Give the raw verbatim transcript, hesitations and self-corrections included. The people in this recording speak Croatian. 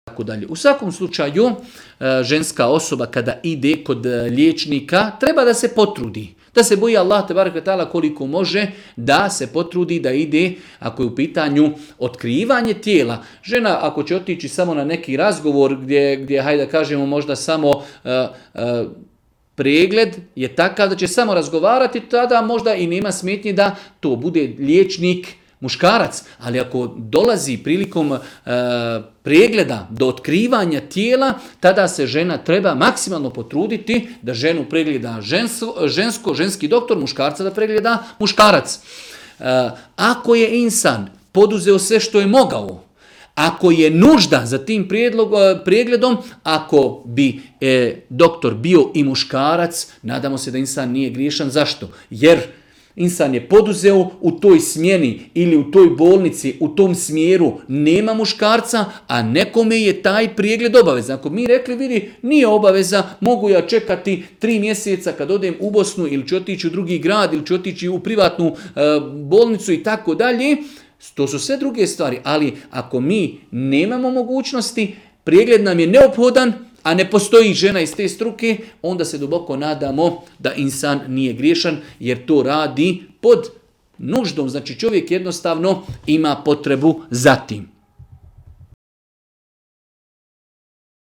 tako dalje. U svakom slučaju, ženska osoba kada ide kod liječnika treba da se potrudi. Da se boji Allah tebareke ve taala koliko može, da se potrudi da ide, ako je u pitanju otkrivanje tijela. Žena ako će otići samo na neki razgovor gdje, gdje hajde da kažemo možda samo uh, uh, pregled je takav da će samo razgovarati, tada možda i nema smetnje da to bude liječnik muškarac, ali ako dolazi prilikom e, pregleda do otkrivanja tijela, tada se žena treba maksimalno potruditi da ženu pregleda žensko, žensko ženski doktor, muškarca da pregleda muškarac. E, ako je insan poduzeo sve što je mogao, ako je nužda za tim prijedlog, pregledom, ako bi e, doktor bio i muškarac, nadamo se da insan nije griješan. Zašto? Jer insan je poduzeo u toj smjeni ili u toj bolnici, u tom smjeru nema muškarca, a nekome je taj pregled obavezan. Ako mi rekli, vidi, nije obaveza, mogu ja čekati tri mjeseca kad odem u Bosnu ili ću otići u drugi grad ili ću otići u privatnu e, bolnicu i tako dalje. To su sve druge stvari, ali ako mi nemamo mogućnosti, pregled nam je neophodan, a ne postoji žena iz te struke, onda se duboko nadamo da insan nije griješan, jer to radi pod nuždom. Znači čovjek jednostavno ima potrebu za tim.